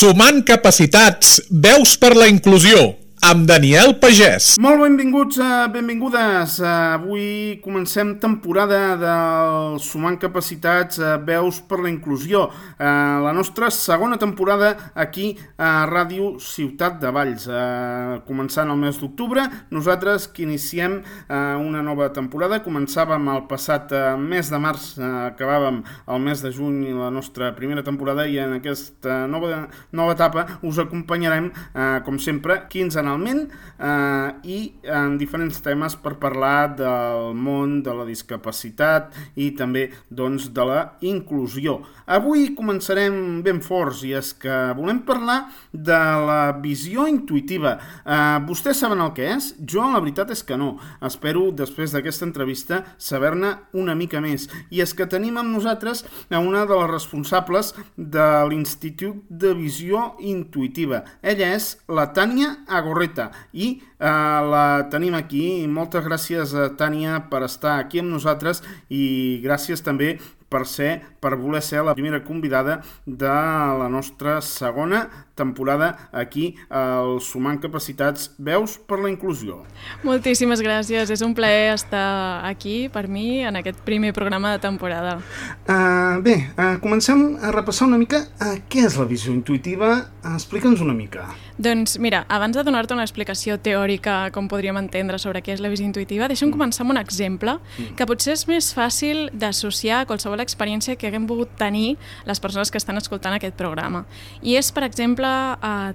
Sumant capacitats, veus per la inclusió, amb Daniel Pagès. Molt benvinguts, benvingudes. Avui comencem temporada del Sumant capacitats, veus per la inclusió. La nostra segona temporada aquí a Ràdio Ciutat de Valls. Començant el mes d'octubre, nosaltres que iniciem una nova temporada. Començàvem el passat mes de març, acabàvem el mes de juny la nostra primera temporada i en aquesta nova etapa us acompanyarem, com sempre, quinzenalment i en diferents temes per parlar del món de la discapacitat i també doncs, de la inclusió. Avui començarem ben forts i és que volem parlar de la visió intuïtiva. Vostès saben el que és? Jo la veritat és que no. Espero després d'aquesta entrevista saber-ne una mica més. I és que tenim amb nosaltres una de les responsables de l'Institut de Visió Intuïtiva. Ella és la Tània Agorreta i la tenim aquí. Moltes gràcies, Tània, per estar aquí amb nosaltres i gràcies també per voler ser la primera convidada de la nostra segona temporada aquí al Sumant Capacitats, veus per la inclusió. Moltíssimes gràcies, és un plaer estar aquí per mi en aquest primer programa de temporada. Comencem a repassar una mica què és la visió intuïtiva. Explica'ns una mica. Doncs mira, abans de donar-te una explicació teòrica com podríem entendre sobre què és la visió intuïtiva, deixa'm començar amb un exemple que potser és més fàcil d'associar a qualsevol experiència que haguem pogut tenir les persones que estan escoltant aquest programa. I és, per exemple,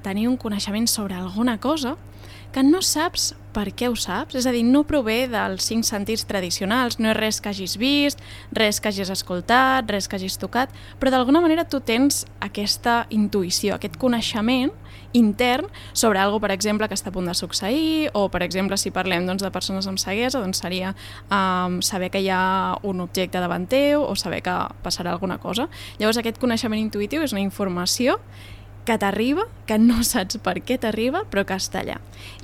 tenir un coneixement sobre alguna cosa que no saps per què ho saps, és a dir, no prové dels 5 sentits tradicionals, no és res que hagis vist, res que hagis escoltat, res que hagis tocat, però d'alguna manera tu tens aquesta intuïció, aquest coneixement intern sobre alguna cosa, per exemple, que està a punt de succeir, o, per exemple, si parlem de persones amb ceguesa, doncs seria saber que hi ha un objecte davant teu o saber que passarà alguna cosa. Llavors, aquest coneixement intuïtiu és una informació que t'arriba, que no saps per què t'arriba, però que està allà.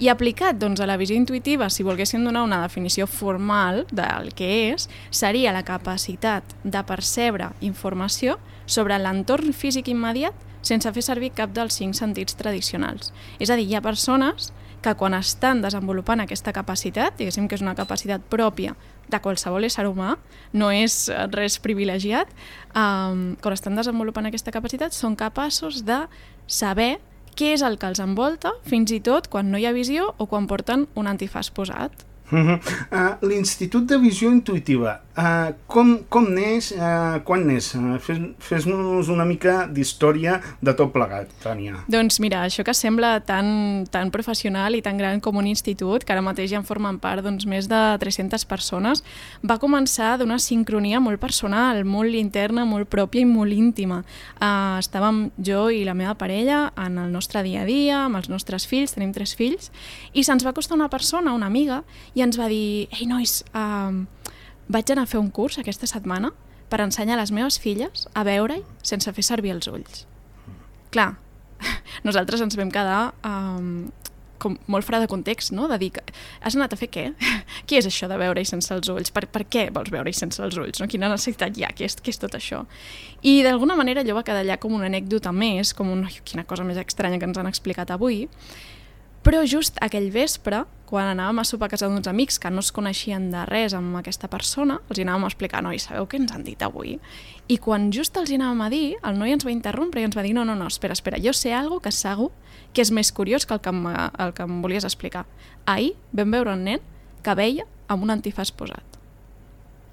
I aplicat a la visió intuïtiva, si volguéssim donar una definició formal del que és, seria la capacitat de percebre informació sobre l'entorn físic immediat sense fer servir cap dels 5 sentits tradicionals. És a dir, hi ha persones que quan estan desenvolupant aquesta capacitat, diguéssim que és una capacitat pròpia de qualsevol ésser humà, no és res privilegiat, quan estan desenvolupant aquesta capacitat són capaços de saber què és el que els envolta, fins i tot quan no hi ha visió o quan porten un antifaç posat. L'Institut de Visió Intuïtiva, com neix, quan neix? Fes-nos una mica d'història de tot plegat, Tània. Doncs mira, això que sembla tan professional i tan gran com un institut, que ara mateix ja en formen part més de 300 persones, va començar d'una sincronia molt personal, molt interna, molt pròpia i molt íntima. Estàvem jo i la meva parella en el nostre dia a dia, amb els nostres fills, tenim 3 fills, i se'ns va acostar una persona, una amiga, i ens va dir: ei nois, vaig anar a fer un curs aquesta setmana per ensenyar a les meves filles a veure-hi sense fer servir els ulls. Clar, nosaltres ens vam quedar com molt fora de context, no? De dir, has anat a fer què? Què és això de veure-hi sense els ulls? Per què vols veure-hi sense els ulls? No? Quina necessitat hi ha? Què és tot això? I d'alguna manera allò va quedar allà com una anècdota més, com quina cosa més estranya que ens han explicat avui. Però just aquell vespre, quan anàvem a sopar a casa d'uns amics que no es coneixien de res amb aquesta persona, els hi anàvem a explicar: noi, sabeu què ens han dit avui? I quan just els hi anàvem a dir, el noi ens va interrompre i ens va dir: no, espera, jo sé alguna que segur que és més curiós que el que em volies explicar. Ahir vam veure un nen que veia amb un antifaç posat.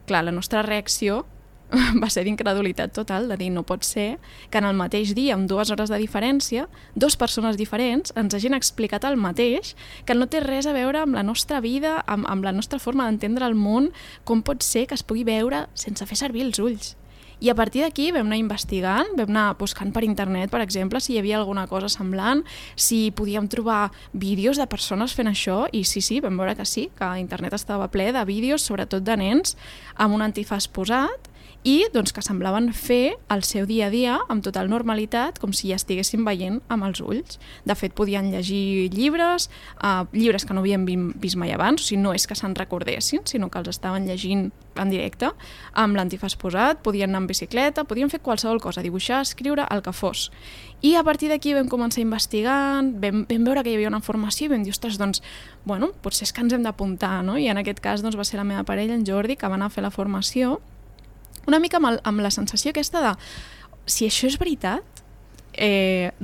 Clar, la nostra reacció va ser d'incredulitat total, de dir: no pot ser que en el mateix dia, amb 2 hores de diferència, 2 persones diferents ens hagin explicat el mateix, que no té res a veure amb la nostra vida, amb la nostra forma d'entendre el món. Com pot ser que es pugui veure sense fer servir els ulls? I a partir d'aquí vam anar investigant, vam anar buscant per internet, per exemple, si hi havia alguna cosa semblant, si podíem trobar vídeos de persones fent això, i sí, vam veure que sí, que internet estava ple de vídeos, sobretot de nens, amb un antifaç posat, i doncs, que semblaven fer el seu dia a dia amb total normalitat, com si ja estiguessin veient amb els ulls. De fet, podien llegir llibres que no havien vist mai abans, o sigui, no és que se'n recordessin, sinó que els estaven llegint en directe, amb l'antifàs posat, podien anar en bicicleta, podien fer qualsevol cosa, dibuixar, escriure, el que fos. I a partir d'aquí vam començar investigant, vam veure que hi havia una formació i vam dir, ostres, doncs, bueno, potser és que ens hem d'apuntar, no? I en aquest cas doncs, va ser la meva parella, en Jordi, que va anar a fer la formació, una mica amb la sensació aquesta de, si això és veritat,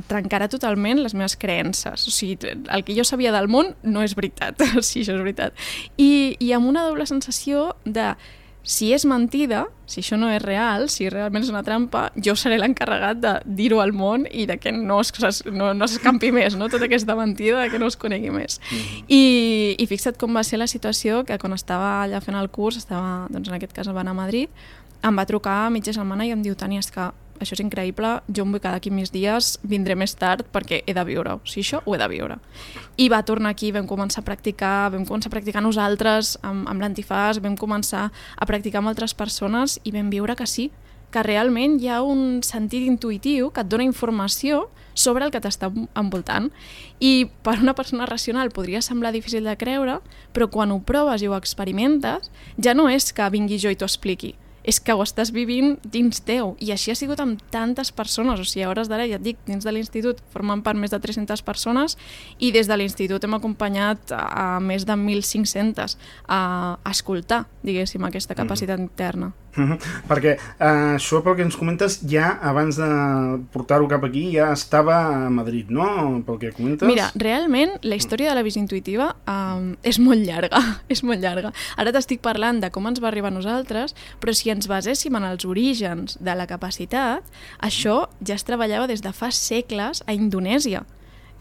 trencarà totalment les meves creences. O sigui, el que jo sabia del món no és veritat, si això és veritat. I amb una doble sensació de, si és mentida, si això no és real, si realment és una trampa, jo seré l'encarregat de dir-ho al món i de que no s'escampi més, no? Tota aquesta mentida, de que no es conegui més. I fixa't com va ser la situació, que quan estava allà fent el curs, doncs en aquest cas va anar a Madrid, em va trucar a mitja setmana i em diu, Tània, és que això és increïble, jo em vull quedar aquí més dies, vindré més tard perquè he de viure-ho, o sigui, això ho he de viure. I va tornar aquí, vam començar a practicar nosaltres amb l'antifàs, vam començar a practicar amb altres persones i vam viure que sí, que realment hi ha un sentit intuïtiu que et dona informació sobre el que t'està envoltant. I per una persona racional podria semblar difícil de creure, però quan ho proves i ho experimentes, ja no és que vingui jo i t'ho expliqui, és que ho estàs vivint dins teu. I així ha sigut amb tantes persones. O sigui, a hores d'ara, ja et dic, dins de l'institut formen part més de 300 persones i des de l'institut hem acompanyat a més de 1.500 a escoltar, diguéssim, aquesta capacitat interna. Perquè això, pel que ens comentes, ja abans de portar-ho cap aquí ja estava a Madrid, no? Pel que comentes. Mira, realment la història de la visió intuïtiva és molt llarga, és molt llarga. Ara t'estic parlant de com ens va arribar a nosaltres, però si ens baséssim en els orígens de la capacitat, això ja es treballava des de fa segles a Indonèsia,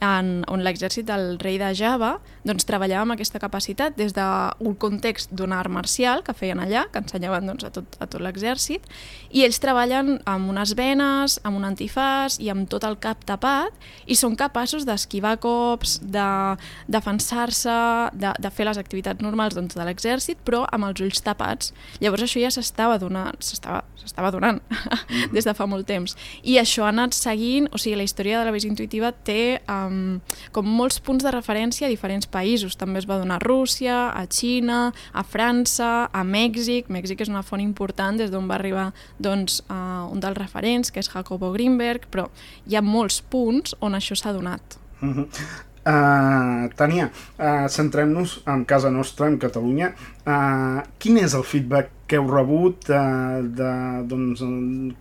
on l'exèrcit del rei de Java doncs, treballava amb aquesta capacitat des d'un context d'un art marcial que feien allà, que ensenyaven doncs, a tot l'exèrcit, i ells treballen amb unes venes, amb un antifàs i amb tot el cap tapat, i són capaços d'esquivar cops, de defensar-se, de fer les activitats normals doncs, de l'exèrcit, però amb els ulls tapats. Llavors això ja s'estava donant des de fa molt temps. I això ha anat seguint, o sigui, la història de la visió intuïtiva té com molts punts de referència a diferents països. També es va donar a Rússia, a Xina, a França, a Mèxic. Mèxic és una font important des d'on va arribar doncs, un dels referents, que és Jacobo Greenberg, però hi ha molts punts on això s'ha donat. Tània, centrem-nos en casa nostra, en Catalunya. Quin és el feedback que heu rebut doncs,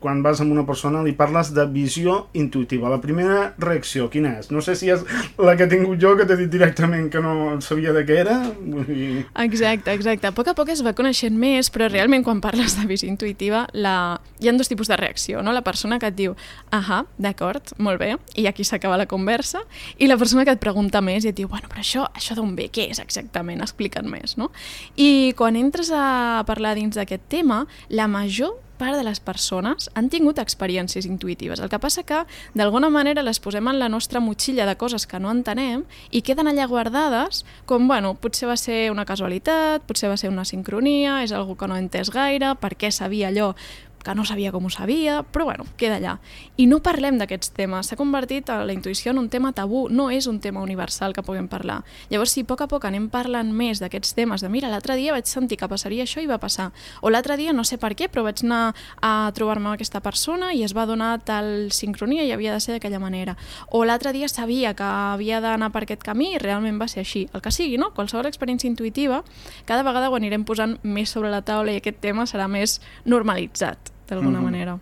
quan vas amb una persona li parles de visió intuïtiva? La primera reacció, quina és? No sé si és la que he tingut jo, que t'he dit directament que no sabia de què era. Exacte. A poc es va coneixent més, però realment quan parles de visió intuïtiva hi ha dos tipus de reacció, no? La persona que et diu, d'acord, molt bé, i aquí s'acaba la conversa, i la persona que et pregunta més i et diu, bueno, però això d'on ve? Què és exactament? Explica't més, no? I quan entres a parlar dins d'aquest tema, la major part de les persones han tingut experiències intuïtives. El que passa que, d'alguna manera, les posem en la nostra motxilla de coses que no entenem i queden allà guardades com, bueno, potser va ser una casualitat, potser va ser una sincronia, és algo que no he entès gaire, per què sabia allò que no sabia com ho sabia, però bueno, queda allà. I no parlem d'aquests temes. S'ha convertit la intuïció en un tema tabú, no és un tema universal que puguem parlar. Llavors, si a poc anem parlant més d'aquests temes, de mira, l'altre dia vaig sentir que passaria això i va passar, o l'altre dia no sé per què, però vaig anar a trobar-me amb aquesta persona i es va donar tal sincronia i havia de ser d'aquella manera, o l'altre dia sabia que havia d'anar per aquest camí i realment va ser així. El que sigui, no? Qualsevol experiència intuïtiva, cada vegada ho anirem posant més sobre la taula i aquest tema serà més normalitzat d'alguna manera.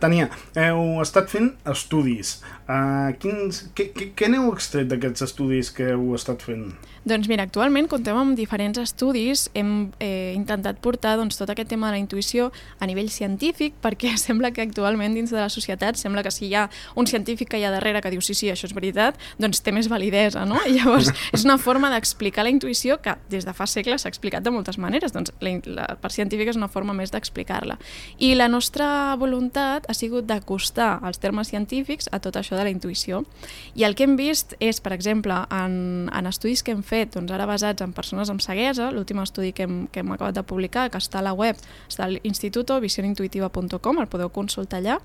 Tània, heu estat fent estudis. Què n'heu extret d'aquests estudis que heu estat fent? Doncs mira, actualment comptem amb diferents estudis, hem intentat portar doncs, tot aquest tema de la intuïció a nivell científic, perquè sembla que actualment dins de la societat sembla que si hi ha un científic que hi ha darrere que diu sí, això és veritat, doncs té més validesa, no? I llavors és una forma d'explicar la intuïció que des de fa segles s'ha explicat de moltes maneres, doncs la part científica és una forma més d'explicar-la. I la nostra nostra voluntat ha sigut d'acostar els termes científics a tot això de la intuïció. I el que hem vist és, per exemple, en estudis que hem fet, doncs ara basats en persones amb ceguesa, l'últim estudi que hem acabat de publicar, que està a la web, està a l'Instituto visionintuitiva.com, el podeu consultar allà,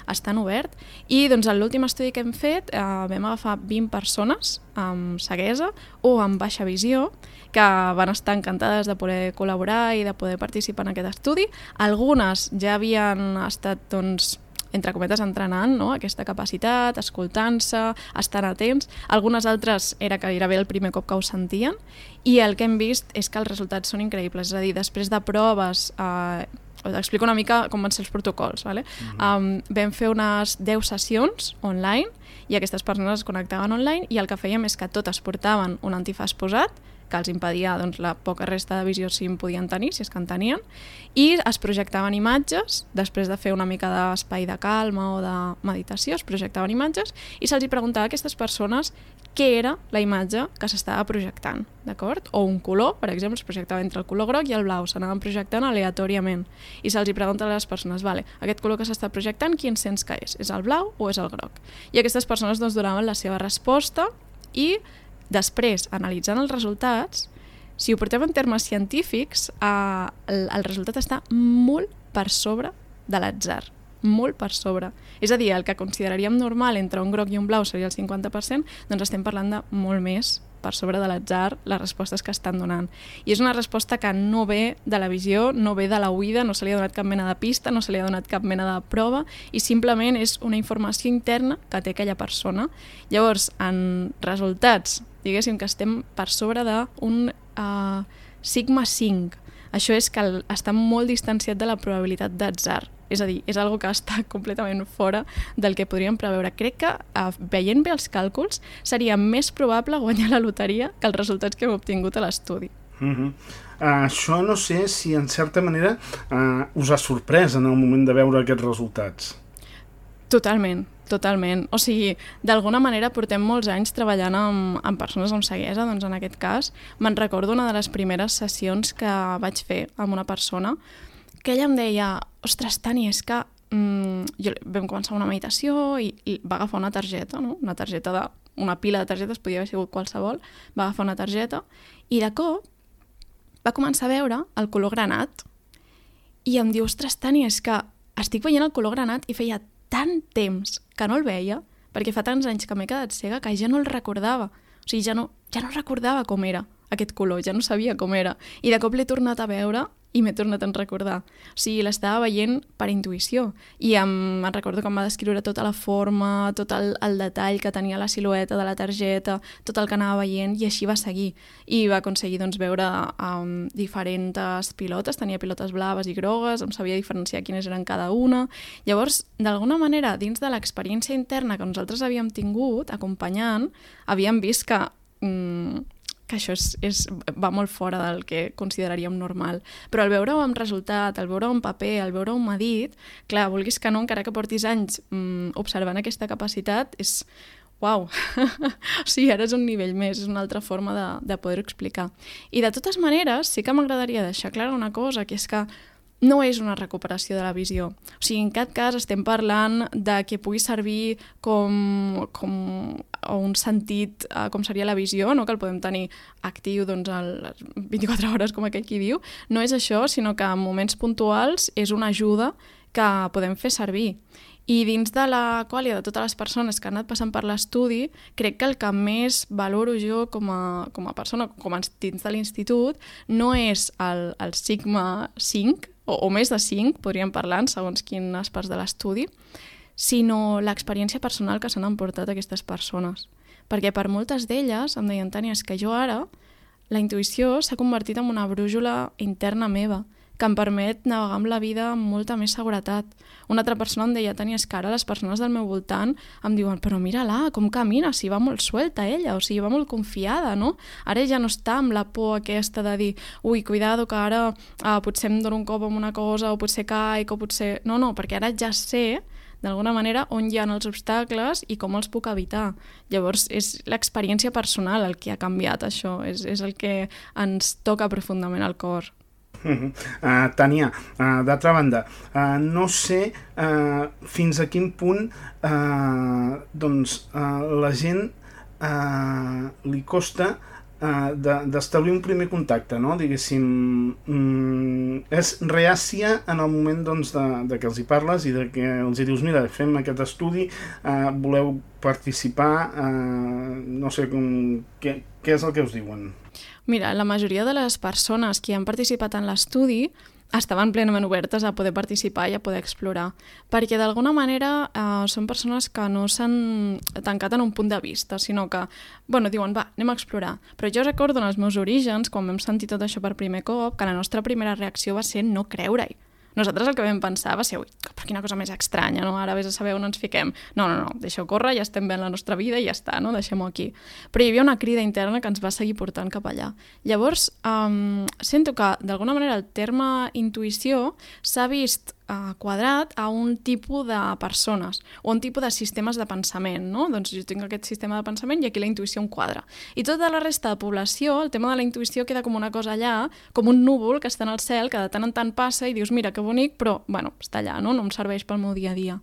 està en obert, i doncs en l'últim estudi que hem fet vam agafar 20 persones amb ceguesa o amb baixa visió, que van estar encantades de poder col·laborar i de poder participar en aquest estudi. Algunes ja havien estat, doncs, entre cometes, entrenant, no?, aquesta capacitat, escoltant-se, estant atents. Algunes altres era gairebé el primer cop que ho sentien, i el que hem vist és que els resultats són increïbles. És a dir, després de proves, t'explico una mica com van ser els protocols, vale? Vam fer unes 10 sessions online, i aquestes persones es connectaven online, i el que fèiem és que totes portaven un antifàs posat, que els impedia, doncs, la poca resta de visió si en podien tenir, si és que en tenien, i es projectaven imatges, després de fer una mica d'espai de calma o de meditació, es projectaven imatges, i se'ls preguntava a aquestes persones què era la imatge que s'estava projectant, d'acord? O un color, per exemple, es projectava entre el color groc i el blau, s'anaven projectant aleatòriament, i se'ls pregunta a les persones, vale, aquest color que s'està projectant, quin sents que és? És el blau o és el groc? I aquestes persones, doncs, donaven la seva resposta, i després, analitzant els resultats, si ho portem en termes científics, el resultat està molt per sobre de l'atzar, molt per sobre. És a dir, el que consideraríem normal entre un groc i un blau seria el 50%, doncs estem parlant de molt més per sobre de l'atzar les respostes que estan donant. I és una resposta que no ve de la visió, no ve de l'oïda, no se li ha donat cap mena de pista, no se li ha donat cap mena de prova, i simplement és una informació interna que té aquella persona. Llavors, en resultats, diguéssim que estem per sobre d'un sigma 5. Això és que està molt distanciat de la probabilitat d'atzar. És a dir, és algo que està completament fora del que podríem preveure. Crec que, veient bé els càlculs, seria més probable guanyar la loteria que els resultats que hem obtingut a l'estudi. Això no sé si, en certa manera, us ha sorprès en el moment de veure aquests resultats. Totalment. O sigui, d'alguna manera portem molts anys treballant amb persones amb ceguesa, doncs en aquest cas me'n recordo una de les primeres sessions que vaig fer amb una persona que ella em deia, ostres, Tani, és que vam començar una meditació i va agafar una targeta, no? Una pila de targetes, podia haver sigut qualsevol, va agafar una targeta i de cop va començar a veure el color granat i em diu, ostres, Tani, és que estic veient el color granat i feia tant temps que no el veia, perquè fa tants anys que m'he quedat cega que ja no el recordava. O sigui, ja no recordava com era aquest color, ja no sabia com era. I de cop l'he tornat a veure i m'he tornat a recordar. O sigui, l'estava veient per intuïció. I em recordo que em va descriure tota la forma, tot el detall que tenia la silueta de la targeta, tot el que anava veient, i així va seguir. I va aconseguir, doncs, veure diferents pilotes, tenia pilotes blaves i grogues, em sabia diferenciar quines eren cada una. Llavors, d'alguna manera, dins de l'experiència interna que nosaltres havíem tingut, acompanyant, havíem vist que això va molt fora del que consideraríem normal. Però al veure-ho amb resultat, al veure-ho en paper, al veure-ho medit, clar, vulguis que no, encara que portis anys observant aquesta capacitat, és uau! O sigui, ara és un nivell més, és una altra forma de poder-ho explicar. I de totes maneres, sí que m'agradaria deixar clara una cosa, que és que no és una recuperació de la visió. O sigui, en cap cas estem parlant de que pugui servir com un sentit, com seria la visió, no? Que el podem tenir actiu, doncs, a les 24 hores, com aquell qui diu. No és això, sinó que en moments puntuals és una ajuda que podem fer servir. I dins de la quàlia de totes les persones que han anat passant per l'estudi, crec que el que més valoro jo com a persona, com a dins de l'institut, no és el sigma 5, o més de 5, podríem parlar, segons quines parts de l'estudi, sinó l'experiència personal que s'han emportat aquestes persones. Perquè per moltes d'elles em deien, Tània, és que jo ara, la intuïció s'ha convertit en una brújula interna meva, que em permet navegar amb la vida amb molta més seguretat. Una altra persona em deia, Tània, és que ara les persones del meu voltant em diuen, però mira-la, com camina, si va molt suelta ella, o sigui, va molt confiada, no? Ara ja no està amb la por aquesta de dir, ui, cuidado, que ara potser em dono un cop amb una cosa, o potser caic, o potser... No, perquè ara ja sé, d'alguna manera, on hi ha els obstacles i com els puc evitar. Llavors, és l'experiència personal el que ha canviat això, és el que ens toca profundament al cor. Tània, d'altra banda, no sé fins a quin punt la gent li costa d'establir un primer contacte, no? Diguéssim, és reàcia en el moment de que els hi parles i de que els hi dius, mira, fem aquest estudi, voleu participar, no sé, què és el que us diuen? Mira, la majoria de les persones que han participat en l'estudi estaven plenament obertes a poder participar i a poder explorar, perquè d'alguna manera són persones que no s'han tancat en un punt de vista, sinó que, diuen, va, anem a explorar. Però jo recordo en els meus orígens, quan vam sentir tot això per primer cop, que la nostra primera reacció va ser no creure-hi. Nosaltres el que vam pensar va ser, ui, però quina cosa més estranya, no? Ara vés a saber on ens fiquem. No, deixeu córrer, ja estem ben la nostra vida i ja està, no? Deixem-ho aquí. Però hi havia una crida interna que ens va seguir portant cap allà. Llavors, sento que, d'alguna manera, el terme intuïció s'ha vist quadrat a un tipus de persones o un tipus de sistemes de pensament, no? Doncs jo tinc aquest sistema de pensament i aquí la intuïció em quadra. I tota la resta de població, el tema de la intuïció queda com una cosa allà, com un núvol que està en el cel, que de tant en tant passa i dius, mira, que bonic, però, està allà, no? No em serveix pel meu dia a dia.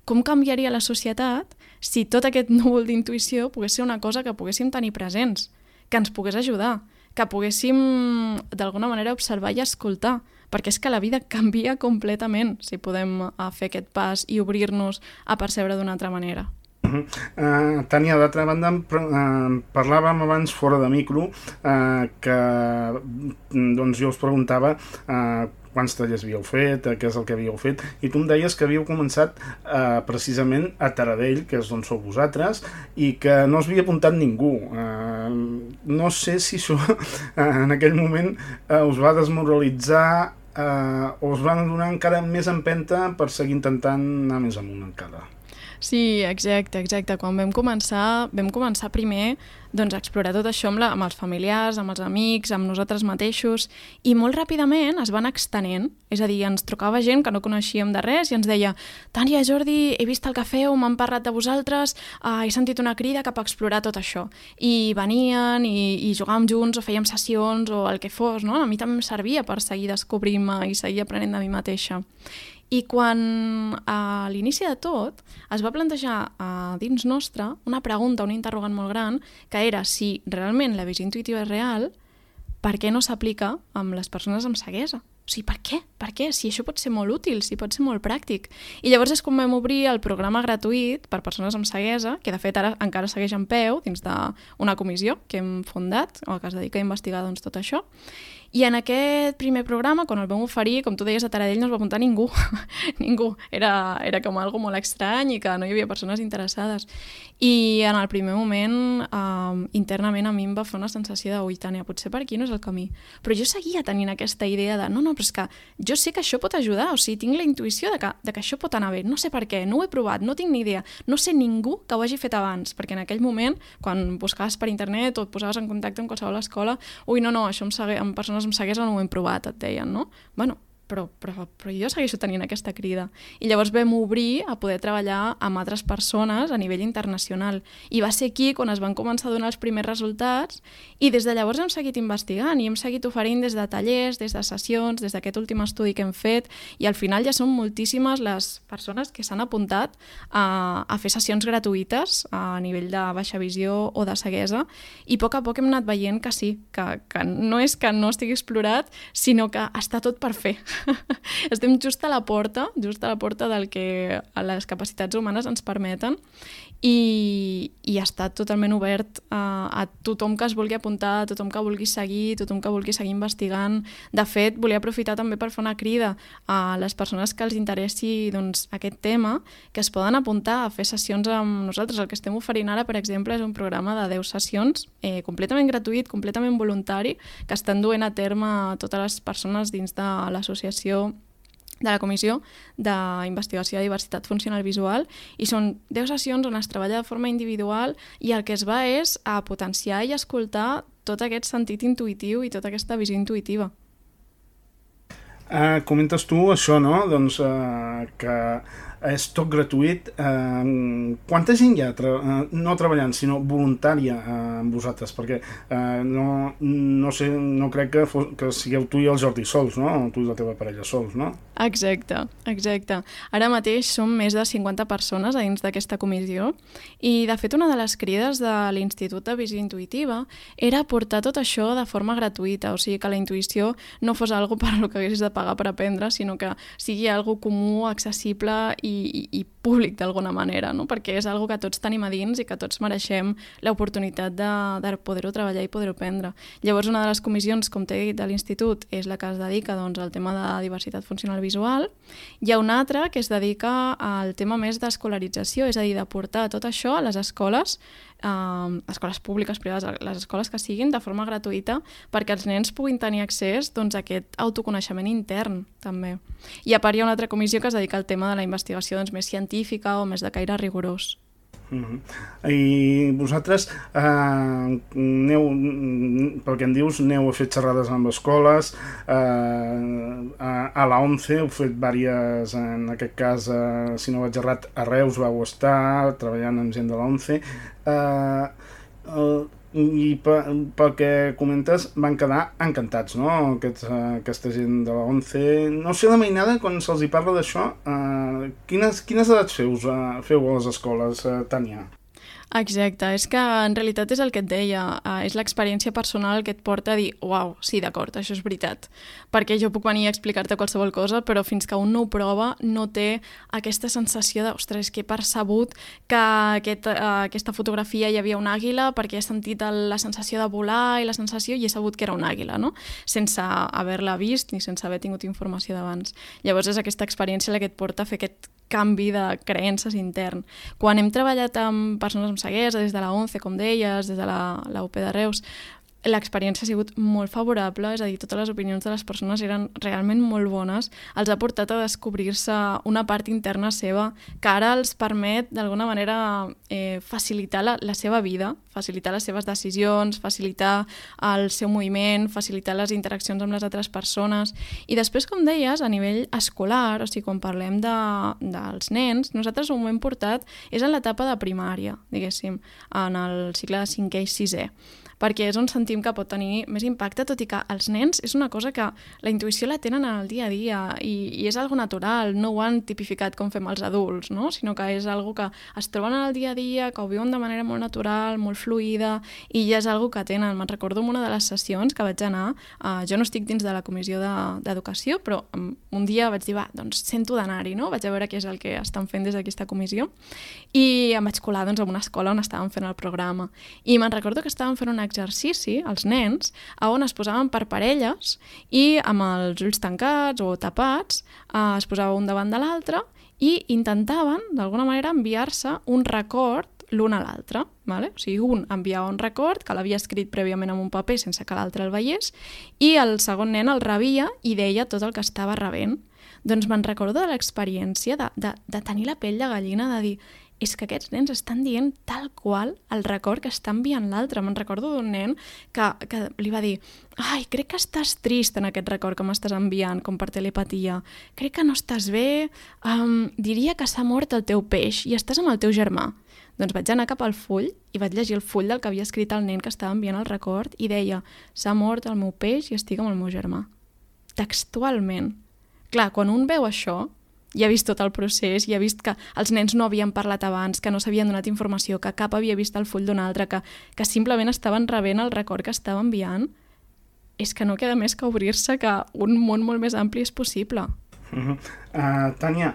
Com canviaria la societat si tot aquest núvol d'intuïció pogués ser una cosa que poguéssim tenir presents, que ens pogués ajudar, que poguéssim d'alguna manera observar i escoltar, perquè és que la vida canvia completament si podem fer aquest pas i obrir-nos a percebre d'una altra manera. Tània, d'altra banda, parlàvem abans fora de micro que jo us preguntava quants tallers havíeu fet, què és el que havíeu fet, i tu em deies que havíeu començat precisament a Taradell, que és d'on sou vosaltres, i que no us havia apuntat ningú. No sé si això en aquell moment us va desmoralitzar o us van donar encara més empenta per seguir intentant anar més amunt encara. Sí, exacte. Quan vam començar primer a explorar tot això amb els familiars, amb els amics, amb nosaltres mateixos, i molt ràpidament es van extenent. És a dir, ens trucava gent que no coneixíem de res i ens deia, Tània, Jordi, he vist el que feu, m'han parlat de vosaltres, he sentit una crida cap a explorar tot això. I venien i jugàvem junts o fèiem sessions o el que fos, no? A mi també em servia per seguir descobrint-me i seguir aprenent de mi mateixa. I quan a l'inici de tot es va plantejar dins nostre una pregunta, un interrogant molt gran, que era si realment la visió intuïtiva és real, per què no s'aplica amb les persones amb ceguesa? O sigui, per què? Per què? Si això pot ser molt útil, si pot ser molt pràctic. I llavors és quan vam obrir el programa gratuït per persones amb ceguesa, que de fet ara encara segueix en peu dins d'una comissió que hem fundat, o que es dedica a investigar tot això. I en aquest primer programa, quan el vam oferir, com tu deies, a Taradell no es va apuntar ningú. Ningú. Era com algo molt estrany i que no hi havia persones interessades. I en el primer moment, internament a mi em va fer una sensació de ui, Tània, potser per aquí no és el camí. Però jo seguia tenint aquesta idea de no, però és que jo sé que això pot ajudar, o sigui, tinc la intuïció de que això pot anar bé. No sé per què, no ho he provat, no tinc ni idea. No sé ningú que ho hagi fet abans, perquè en aquell moment, quan buscaves per internet o et posaves en contacte amb qualsevol escola, ui, no, això amb persones amb ceguesa no ho hem provat, et deien, no? Però jo segueixo tenint aquesta crida. I llavors vam obrir a poder treballar amb altres persones a nivell internacional. I va ser aquí quan es van començar a donar els primers resultats i des de llavors hem seguit investigant i hem seguit oferint des de tallers, des de sessions, des d'aquest últim estudi que hem fet i al final ja són moltíssimes les persones que s'han apuntat a fer sessions gratuïtes a nivell de baixa visió o de ceguesa i a poc hem anat veient que sí, que no és que no estigui explorat, sinó que està tot per fer. Estem just a la porta del que les capacitats humanes ens permeten i està totalment obert a tothom que es vulgui apuntar, a tothom que vulgui seguir, tothom que vulgui seguir investigant. De fet, volia aprofitar també per fer una crida a les persones que els interessi aquest tema, que es poden apuntar a fer sessions amb nosaltres. El que estem oferint ara, per exemple, és un programa de 10 sessions completament gratuït, completament voluntari, que estan duent a terme totes les persones dins de l'associació de la Comissió d'Investigació de Diversitat Funcional Visual i són 10 sessions on es treballa de forma individual i el que es va és a potenciar i escoltar tot aquest sentit intuïtiu i tota aquesta visió intuïtiva. Comentes tu això, no? Que és tot gratuït. Quanta gent hi ha no treballant, sinó voluntària amb vosaltres? Perquè no sé, no crec que sigueu tu i el Jordi sols, no? O tu i la teva parella sols, no? Exacte. Ara mateix som més de 50 persones a dins d'aquesta comissió i, de fet, una de les crides de l'Institut de Visió Intuïtiva era portar tot això de forma gratuïta, o sigui que la intuïció no fos algo per lo que haguessis de pagar per aprendre, sinó que sigui algo comú, accessible i públic d'alguna manera, no? Perquè és algo que tots tenim a dins i que tots mereixem l'oportunitat de poder-ho treballar i poder-ho aprendre. Llavors, una de les comissions, com t'he dit, de l'Institut és la que es dedica al tema de diversitat funcional visual. Hi ha una altra que es dedica al tema més d'escolarització, és a dir, de portar tot això a les escoles, escoles públiques, privades, les escoles que siguin, de forma gratuïta, perquè els nens puguin tenir accés a aquest autoconeixement intern, també. I a part hi ha una altra comissió que es dedica al tema de la investigació més científica o més de caire rigorós. I vosaltres pel que em dius, aneu a fer xerrades amb escoles, a la ONCE heu fet diverses, en aquest cas, si no vaig errat, a Reus vau estar treballant amb gent de la ONCE, i pel que comentes van quedar encantats, no? Aquesta gent de la ONCE. No sé, la mainada, quan se'ls hi parla d'això, quines edats feu a les escoles, Tània? Exacte, és que en realitat és el que et deia, és l'experiència personal que et porta a dir uau, sí, d'acord, això és veritat, perquè jo puc venir a explicar-te qualsevol cosa, però fins que un no ho prova no té aquesta sensació de, ostres, que he percebut que aquesta fotografia hi havia una àguila perquè he sentit la sensació de volar i la sensació i he sabut que era una àguila, no? Sense haver-la vist ni sense haver tingut informació d'abans. Llavors és aquesta experiència la que et porta a fer aquest canvi de creences intern. Quan hem treballat amb persones amb ceguesa, des de la ONCE, com deies, des de la UP de Reus, l'experiència ha sigut molt favorable, és a dir, totes les opinions de les persones eren realment molt bones, els ha portat a descobrir-se una part interna seva que ara els permet, d'alguna manera, facilitar la seva vida, facilitar les seves decisions, facilitar el seu moviment, facilitar les interaccions amb les altres persones. I després, com deies, a nivell escolar, o sigui, quan parlem dels nens, nosaltres ho hem portat, és en l'etapa de primària, diguéssim, en el cicle de 5è i 6è, perquè és on sentim que pot tenir més impacte, tot i que els nens és una cosa que la intuïció la tenen en el dia a dia i és algo natural, no ho han tipificat com fem els adults, no? Sinó que és algo que es troben en el dia a dia, que ho viuen de manera molt natural, molt fluida, i ja és algo que tenen. Me'n recordo en una de les sessions que vaig anar, jo no estic dins de la comissió d'educació, però un dia vaig dir, doncs sento d'anar-hi, no? Vaig a veure què és el que estan fent des d'aquesta comissió, i em vaig colar en una escola on estàvem fent el programa. I me'n recordo que estàvem fent un exercici, els nens, on es posaven per parelles i amb els ulls tancats o tapats es posava un davant de l'altre i intentaven, d'alguna manera, enviar-se un record l'un a l'altre. Vale? O sigui, un enviava un record que l'havia escrit prèviament en un paper sense que l'altre el veiés i el segon nen el rebia i deia tot el que estava rebent. Doncs me'n recordo de l'experiència de tenir la pell de gallina, de dir és que aquests nens estan dient tal qual el record que està enviant l'altre. Me'n recordo d'un nen que li va dir ai, crec que estàs trist en aquest record que m'estàs enviant, com per telepatia. Crec que no estàs bé, diria que s'ha mort el teu peix i estàs amb el teu germà. Doncs vaig anar cap al full i vaig llegir el full del que havia escrit el nen que estava enviant el record i deia s'ha mort el meu peix i estic amb el meu germà. Textualment. Clar, quan un veu això, i ha vist tot el procés, i ha vist que els nens no havien parlat abans, que no s'havien donat informació, que cap havia vist el full d'un altre, que simplement estaven rebent el record que estava enviant, és que no queda més que obrir-se que un món molt més ampli és possible. Tània,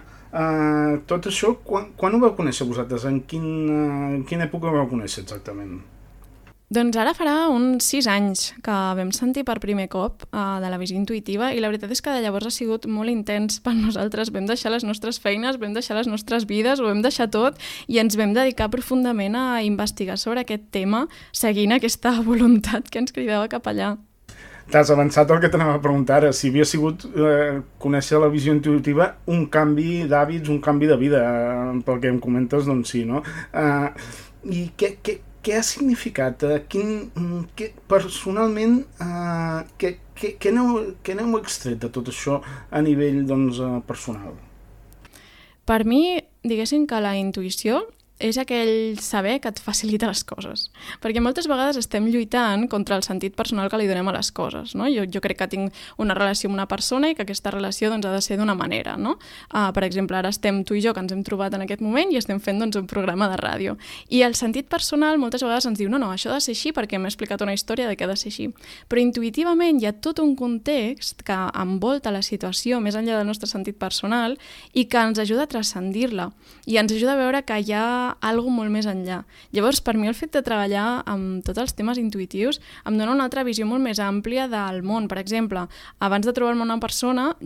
tot això, quan ho vau conèixer vosaltres? En quina època ho vau conèixer exactament? Doncs ara farà uns 6 anys que vam sentir per primer cop de la visió intuïtiva i la veritat és que de llavors ha sigut molt intens per nosaltres. Vam deixar les nostres feines, vam deixar les nostres vides, ho vam deixar tot i ens vam dedicar profundament a investigar sobre aquest tema seguint aquesta voluntat que ens cridava cap allà. T'has avançat el que t'anava a preguntar ara, si havia sigut conèixer la visió intuïtiva un canvi d'hàbits, un canvi de vida, pel que em comentes, doncs sí, no? I què ha significat? Personalment, què n'heu extret de tot això a nivell personal? Per mi diguéssim que la intuïció és aquell saber que et facilita les coses. Perquè moltes vegades estem lluitant contra el sentit personal que li donem a les coses, no? Jo crec que tinc una relació amb una persona i que aquesta relació doncs, ha de ser d'una manera, no? Per exemple, ara estem tu i jo, que ens hem trobat en aquest moment, i estem fent doncs, un programa de ràdio. I el sentit personal moltes vegades ens diu no, això ha de ser així perquè m'he explicat una història de què ha de ser així. Però intuïtivament hi ha tot un context que envolta la situació més enllà del nostre sentit personal i que ens ajuda a transcendir-la i ens ajuda a veure que hi ha algo molt més enllà. Llavors, per mi el fet de treballar amb tots els temes intuïtius em dona una altra visió molt més àmplia del món. Per exemple, abans de trobar-me una persona,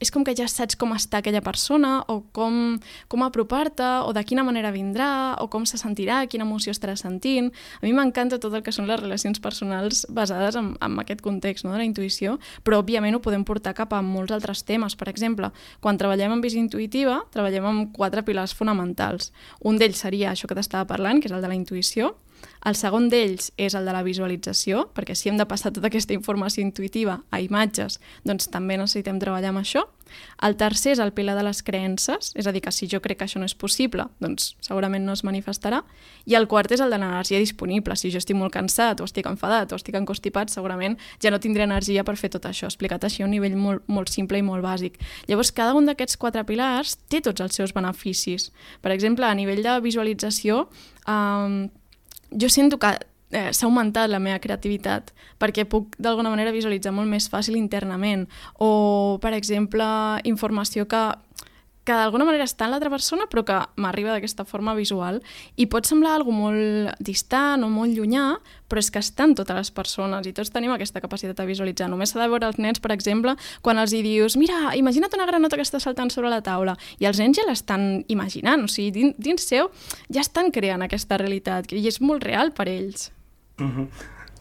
és com que ja saps com està aquella persona o com apropar-te o de quina manera vindrà o com se sentirà, quina emoció estarà sentint. A mi m'encanta tot el que són les relacions personals basades en aquest context, no, de la intuïció, però òbviament ho podem portar cap a molts altres temes. Per exemple, quan treballem en visió intuïtiva, treballem amb 4 pilars fonamentals. Un d'ells seria això que t'estava parlant, que és el de la intuïció. El segon d'ells és el de la visualització, perquè si hem de passar tota aquesta informació intuïtiva a imatges, doncs també necessitem treballar amb això. El tercer és el pilar de les creences, és a dir, que si jo crec que això no és possible, doncs segurament no es manifestarà. I el quart és el de l'energia disponible. Si jo estic molt cansat, o estic enfadat, o estic encostipat, segurament ja no tindré energia per fer tot això, explicat així a un nivell molt simple i molt bàsic. Llavors, cada un d'aquests 4 pilars té tots els seus beneficis. Per exemple, a nivell de visualització, jo sento que s'ha augmentat la meva creativitat perquè puc d'alguna manera visualitzar molt més fàcil internament o, per exemple, informació que d'alguna manera està en l'altra persona però que m'arriba d'aquesta forma visual i pot semblar algo molt distant o molt llunyà, però és que estan totes les persones i tots tenim aquesta capacitat de visualitzar. Només s'ha de veure els nens, per exemple, quan els hi dius mira, imagina't una granota que està saltant sobre la taula i els nens ja l'estan imaginant, o sigui, dins seu ja estan creant aquesta realitat i és molt real per ells.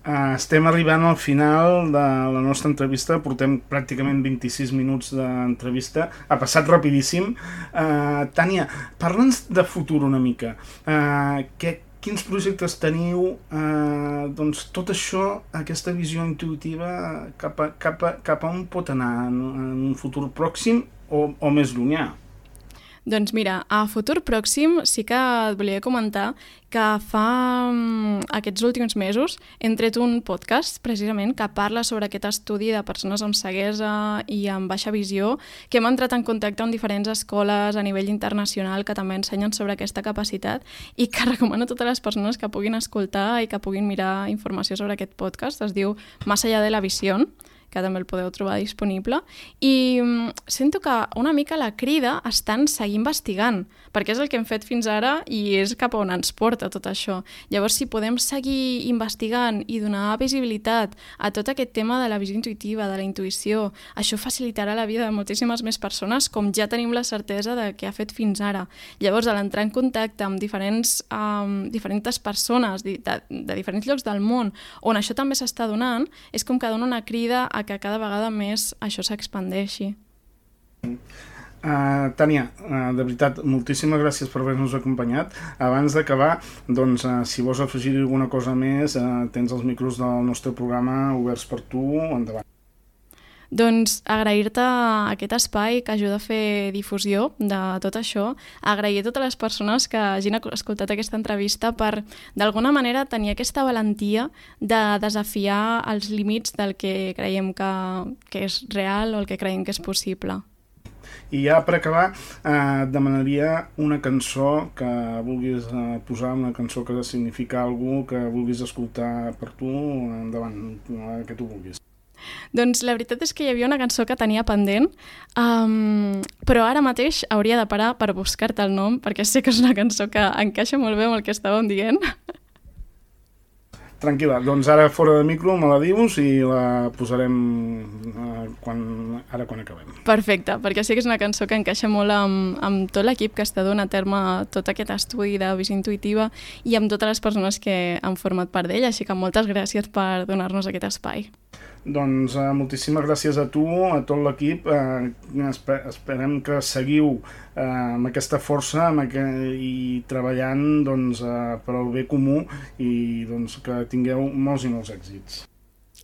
Estem arribant al final de la nostra entrevista, portem pràcticament 26 minuts d'entrevista, ha passat rapidíssim. Tània, parla'ns de futur una mica. Quins projectes teniu? Doncs tot això, aquesta visió intuïtiva, cap a on pot anar en un futur pròxim o més llunyà? Doncs mira, a futur pròxim sí que et volia comentar que fa aquests últims mesos hem tret un podcast precisament que parla sobre aquest estudi de persones amb ceguesa i amb baixa visió, que hem entrat en contacte amb diferents escoles a nivell internacional que també ensenyen sobre aquesta capacitat i que recomano a totes les persones que puguin escoltar i que puguin mirar informació sobre aquest podcast. Es diu Más allá de la visión, que també el podeu trobar disponible, i sento que una mica la crida està en seguir investigant, perquè és el que hem fet fins ara i és cap a on ens porta tot això. Llavors, si podem seguir investigant i donar visibilitat a tot aquest tema de la visió intuïtiva, de la intuïció, això facilitarà la vida de moltíssimes més persones, com ja tenim la certesa de què ha fet fins ara. Llavors, a l'entrar en contacte amb diferents persones de diferents llocs del món, on això també s'està donant, és com que dona una crida a que cada vegada més això s'expandeixi. Tània, de veritat, moltíssimes gràcies per haver-nos acompanyat. Abans d'acabar, doncs, si vols afegir alguna cosa més, tens els micros del nostre programa oberts per tu, endavant. Doncs agrair-te aquest espai que ajuda a fer difusió de tot això, agrair a totes les persones que hagin escoltat aquesta entrevista per, d'alguna manera, tenir aquesta valentia de desafiar els límits del que creiem que és real o el que creiem que és possible. I ja per acabar, et demanaria una cançó que vulguis posar, una cançó que significa alguna cosa que vulguis escoltar per tu, endavant, que tu vulguis. Doncs la veritat és que hi havia una cançó que tenia pendent, però ara mateix hauria de parar per buscar-te el nom, perquè sé que és una cançó que encaixa molt bé amb el que estàvem dient. Tranquil·la, doncs ara fora de micro me la dius i la posarem quan acabem. Perfecte, perquè sé que és una cançó que encaixa molt amb tot l'equip que està donant a terme tot aquest estudi de visió intuïtiva i amb totes les persones que han format part d'ella, així que moltes gràcies per donar-nos aquest espai. Doncs moltíssimes gràcies a tu, a tot l'equip. Esperem que seguiu amb aquesta força i treballant per al bé comú i que tingueu molts i molts èxits.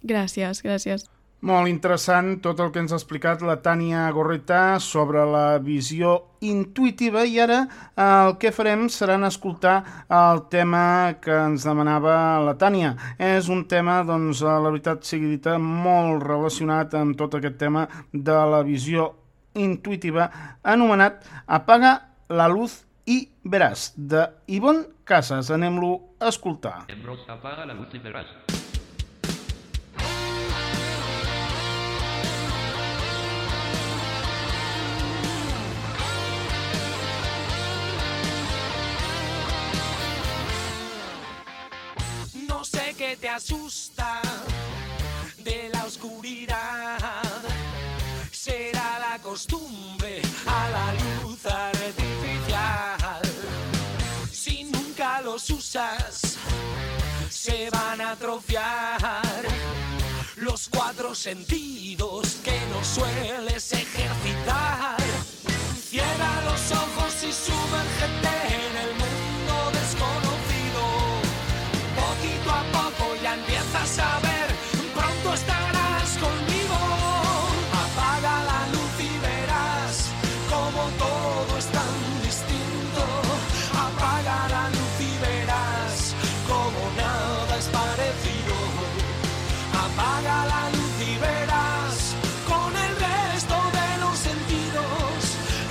Gràcies, gràcies. Molt interessant tot el que ens ha explicat la Tània Gorreta sobre la visió intuïtiva, i ara el que farem serà escoltar el tema que ens demanava la Tània. És un tema, doncs, la veritat sigui dita, molt relacionat amb tot aquest tema de la visió intuïtiva, anomenat Apaga la luz y verás, de Ivonne Casas. Anem-lo a escoltar. Apaga la luz y verás. No sé qué te asusta de la oscuridad. Será la costumbre a la luz artificial. Si nunca los usas, se van a atrofiar los 4 sentidos que no sueles ejercitar. Cierra los ojos y sumérgete en el mundo desconocido. Poquito a poco ya empiezas a ver, pronto estarás conmigo. Apaga la luz y verás como todo es tan distinto. Apaga la luz y verás como nada es parecido. Apaga la luz y verás con el resto de los sentidos.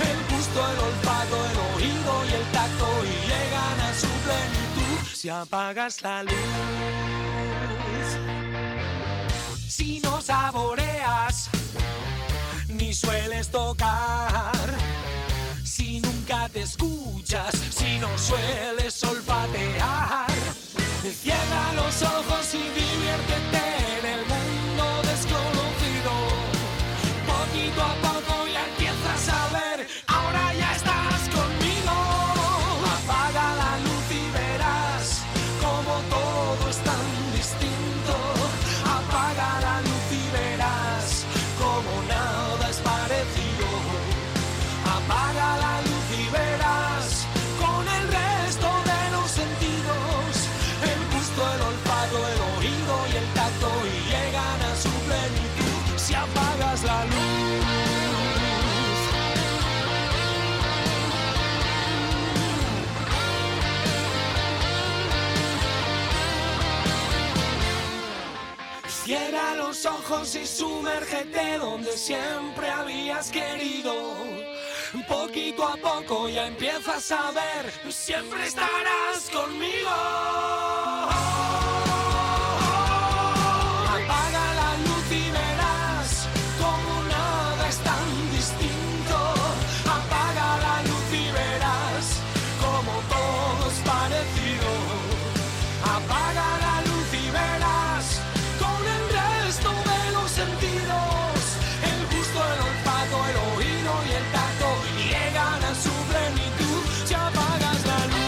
El gusto, el olfato, el oído y el tacto y llegan a su plenitud. Si apagas la luz, si no saboreas ni sueles tocar, si nunca te escuchas, si no sueles olfatear, cierra los ojos y diviértete en el mundo desconocido. Poquito a poco ya empiezas a ver, ahora ya estás conmigo. Apaga la luz y verás como todo es tan distinto. Apaga la luz y verás como nada es parecido. Apaga la luz y verás con el resto de los sentidos. El gusto, el olfato, el oído y el tacto y llegan a su plenitud. Si apagas la luz. Cierra los ojos y sumérgete donde siempre habías querido. Poquito a poco ya empiezas a ver, siempre estarás conmigo. Apaga la luz y verás como nada es tan distinto. Apaga la luz y verás como todo es parecido. Apaga la luz y verás con el resto de los sentidos. El gusto, el olfato, el oído y el tacto llegan a su plenitud. Si apagas la luz.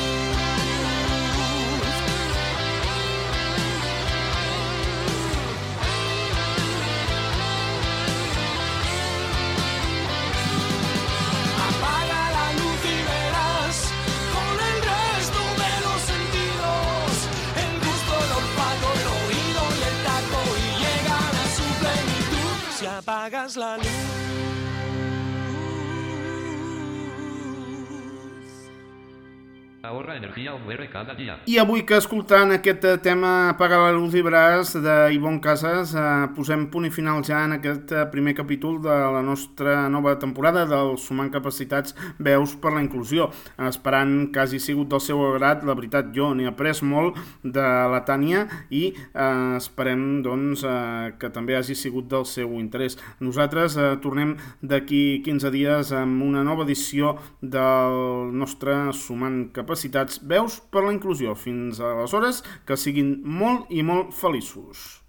Apaga la luz y verás con el resto de los sentidos. El gusto, el olfato, el oído y el tacto y llegan a su plenitud. Si apagas la luz. Ahorra energía o muere cada día. I avui que escoltant aquest tema Apaga la luz i veràs de Ivonne Casas posem punt i final ja en aquest primer capítol de la nostra nova temporada del Sumant Capacitats Veus per la Inclusió, esperant que hagi sigut del seu agrat. La veritat, jo n'he après molt de la Tània i esperem doncs que també hagi sigut del seu interès. Nosaltres tornem d'aquí 15 dies amb una nova edició del nostre Sumant Capacitats Veus per la Inclusió. Fins aleshores, que siguin molt i molt feliços.